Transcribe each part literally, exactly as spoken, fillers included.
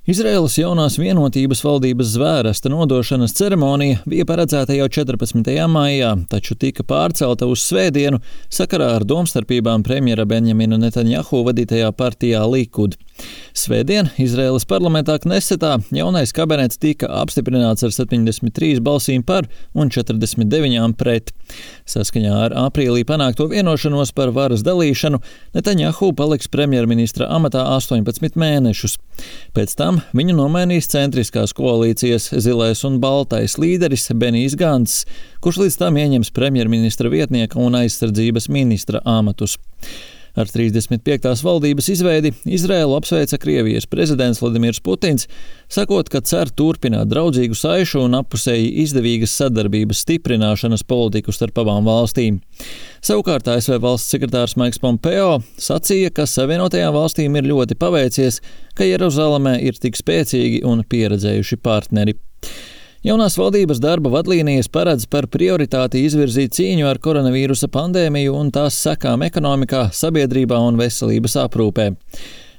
Izraēlas jaunās vienotības valdības zvērsta nodošanas ceremonija bija paredzēta jau četrpadsmitajā maijā, taču tika pārcelta uz svētdienu sakarā ar domstarpībām premjera Benjamina Netanjahu vadītajā partijā Likud. Svētdien Izraēlas parlamentā Knesetā jaunais kabinets tika apstiprināts ar septiņdesmit trīs balsīm par un četrdesmit deviņām pret. Saskaņā ar aprīlī panākto vienošanos par varas dalīšanu Netanjahu paliks premjerministra amatā astoņpadsmit mēnešus. Pēc tam viņu nomainīs centriskās koalīcijas zilais un baltais līderis Benijs Gants, kurš līdz tam ieņems premjerministra vietnieka un aizsardzības ministra amatus. Ar trīsdesmit piektās valdības izveidi Izraēlu apsveica Krievijas prezidents Vladimirs Putins, sakot, ka cer turpināt draudzīgu saišu un appusēji izdevīgas sadarbības stiprināšanas politiku starp abām valstīm. Savukārt A S V valsts sekretārs Maiks Pompeo sacīja, ka Savienotajām valstīm ir ļoti paveicies, ka Jeruzalemē ir tik spēcīgi un pieredzējuši partneri. Jaunās valdības darba vadlīnijas paredz par prioritāti izvirzīt cīņu ar koronavīrusa pandēmiju un tās sekām ekonomikā, sabiedrībā un veselības aprūpē.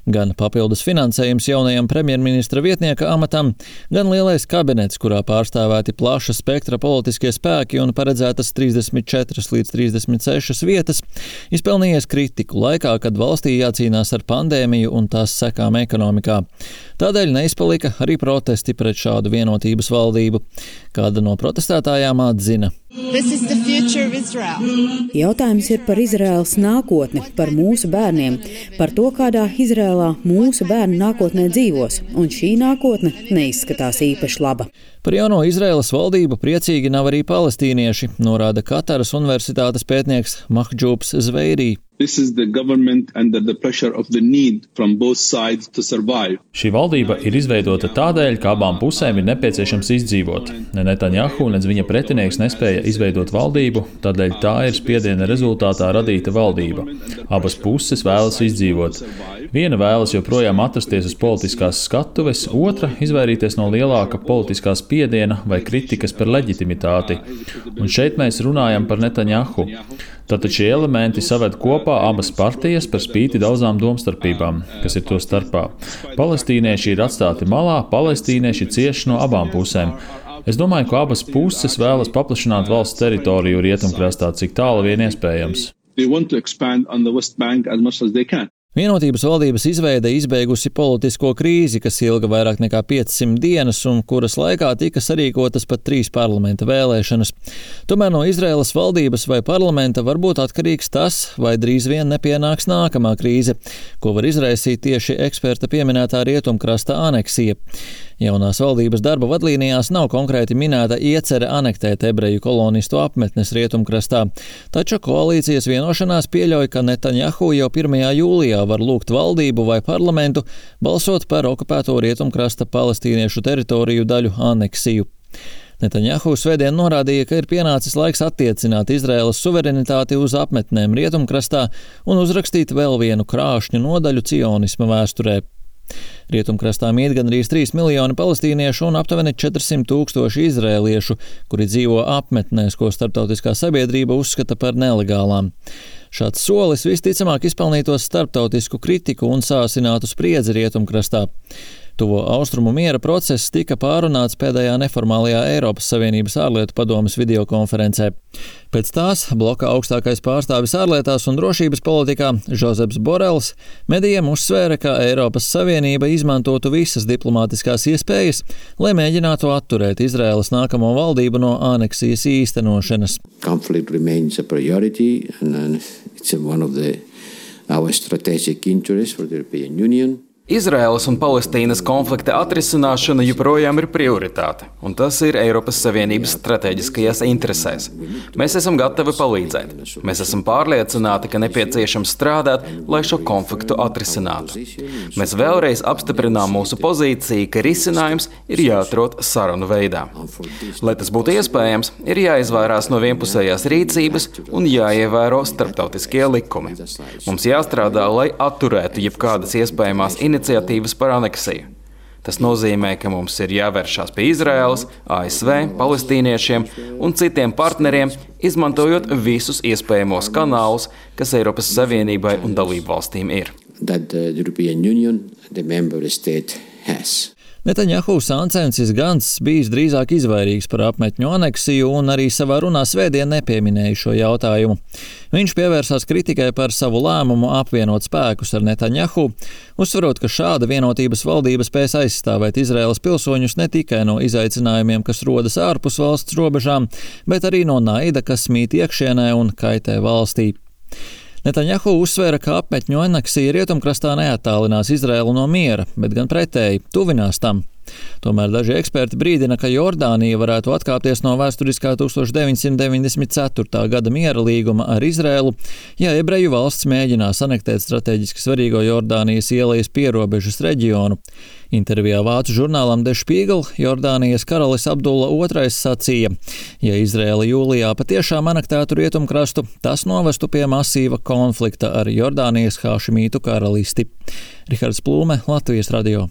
Gan papildus finansējums jaunajam premjerministra vietnieka amatam, gan lielais kabinets, kurā pārstāvēti plaša spektra politiskie spēki un paredzētas trīsdesmit četras līdz trīsdesmit sešas vietas, izpelnījies kritiku laikā, kad valstī jācīnās ar pandēmiju un tās sekām ekonomikā. Tādēļ neizpalika arī protesti pret šādu vienotības valdību. Kāda no protestētājām atzina. Jautājums ir par Izraēlas nākotni, par mūsu bērniem, par to, kādā Izraēlā mūsu bērni nākotnē dzīvos, un šī nākotne neizskatās īpaši laba. Par jauno Izraēlas valdību priecīgi nav arī palestīnieši, norāda Kataras universitātes pētnieks Mahģūbs Zveirī. Šī valdība ir izveidota tādēļ, ka abām pusēm ir nepieciešams izdzīvot. Ne Netanjahu, nec viņa pretinieks nespēja izveidot valdību, tādēļ tā ir spiediena rezultātā radīta valdība. Abas puses vēlas izdzīvot. Viena vēlas joprojām atrasties uz politiskās skatuves, otra izvairīties no lielāka politiskā spiediena vai kritikas par leģitimitāti. Un šeit mēs runājam par Netanjahu. Tātad šie elementi saved kopā abas partijas par spīti daudzām domstarpībām, kas ir to starpā. Palestīnieši ir atstāti malā, palestīnieši cieš no abām pusēm. Es domāju, ka abas puses vēlas paplašināt valsts teritoriju rietumkrastā, cik tālu vien iespējams. Vienotības valdības izveide izbeigusi politisko krīzi, kas ilga vairāk nekā piecsimt dienas un kuras laikā tika sarīkotas pat trīs parlamenta vēlēšanas. Tomēr no Izraēlas valdības vai parlamenta var būt atkarīgs tas, vai drīz vien nepienāks nākamā krīze, ko var izraisīt tieši eksperta pieminētā rietumkrasta aneksija. Jaunās valdības darba vadlīnijās nav konkrēti minēta iecere anektēt ebreju kolonistu apmetnes rietumkrastā, taču koalīcijas vienošanās pieļauj, ka Netanjahu jau pirmajā jūlijā var lūgt valdību vai parlamentu balsot par okupēto rietumkrasta palestīniešu teritoriju daļu aneksiju. Netanjahu svētdien norādīja, ka ir pienācis laiks attiecināt Izraēlas suverenitāti uz apmetnēm rietumkrastā un uzrakstīt vēl vienu krāšņu nodaļu cionisma vēsturē. Rietumkrastā mīt gandrīz trīs miljoni palestīniešu un aptuveni četrsimt tūkstoši izrēliešu, kuri dzīvo apmetnēs, ko starptautiskā sabiedrība uzskata par nelegālām. Šāds solis visticamāk izpelnītos starptautisku kritiku un sāsinātu spriedzi rietumkrastā. Tuvo austrumu miera process tika pārunāts pēdējā neformālajā Eiropas Savienības ārlietu padomes videokonferencē. Pēc tās bloka augstākais pārstāvis ārlietās un drošības politikā Žozeps Borels medijiem uzsvēra, ka Eiropas Savienība izmantotu visas diplomātiskās iespējas, lai mēģinātu atturēt Izraēlas nākamo valdību no aneksijas īstenošanas. Conflict remains a priority and it's one of the our strategic interests for the European Union. Izraēlas un Palestīnas konflikta atrisināšana joprojām ir prioritāte, un tas ir Eiropas Savienības strateģiskajās interesēs. Mēs esam gatavi palīdzēt. Mēs esam pārliecināti, ka nepieciešams strādāt, lai šo konfliktu atrisinātu. Mēs vēlreiz apstiprinām mūsu pozīciju, ka risinājums ir jāatrod sarunu veidā. Lai tas būtu iespējams, ir jāizvairās no vienpusējās rīcības un jāievēro starptautiskie likumi. Mums jāstrādā, lai atturētu jebkādas iespējamās iniciatīvas iniciatīvas par aneksiju. Tas nozīmē, ka mums ir jāvēršās pie Izraēlas, A S V, palestīniešiem un citiem partneriem, izmantojot visus iespējamos kanālus, kas Eiropas Savienībai un dalību valstīm ir. That the European Union, the member state has. Netaņjahu Sancensis Gants bijis drīzāk izvairīgs par apmetņu aneksiju un arī savā runā svētdien nepieminēja šo jautājumu. Viņš pievērsās kritikai par savu lēmumu apvienot spēkus ar Netaņjahu, uzsverot, ka šāda vienotības valdība spēs aizstāvēt Izraēlas pilsoņus ne tikai no izaicinājumiem, kas rodas ārpus valsts robežām, bet arī no naida, kas mīt iekšienē un kaitē valstī. Netaņjahu uzsvēra, ka apmetņu aneksija rietumkrastā neattālinās Izraēlu no miera, bet gan pretēji tuvinās tam. Tomēr daži eksperti brīdina, ka Jordānija varētu atkāpties no vēsturiskā tūkstoš deviņsimt deviņdesmit ceturtā gada miera līguma ar Izraēlu, ja ebreju valsts mēģinās anektēt strateģiski svarīgo Jordānijas ielejas pierobežas reģionu. Intervijā vācu žurnālam Der Spiegel Jordānijas karalis Abdulla otrais sacīja, ja Izraēla jūlijā patiešām anektētu rietumkrastu, tas novestu pie masīva konflikta ar Jordānijas hašimītu karalisti. Rihards Plūme, Latvijas radio.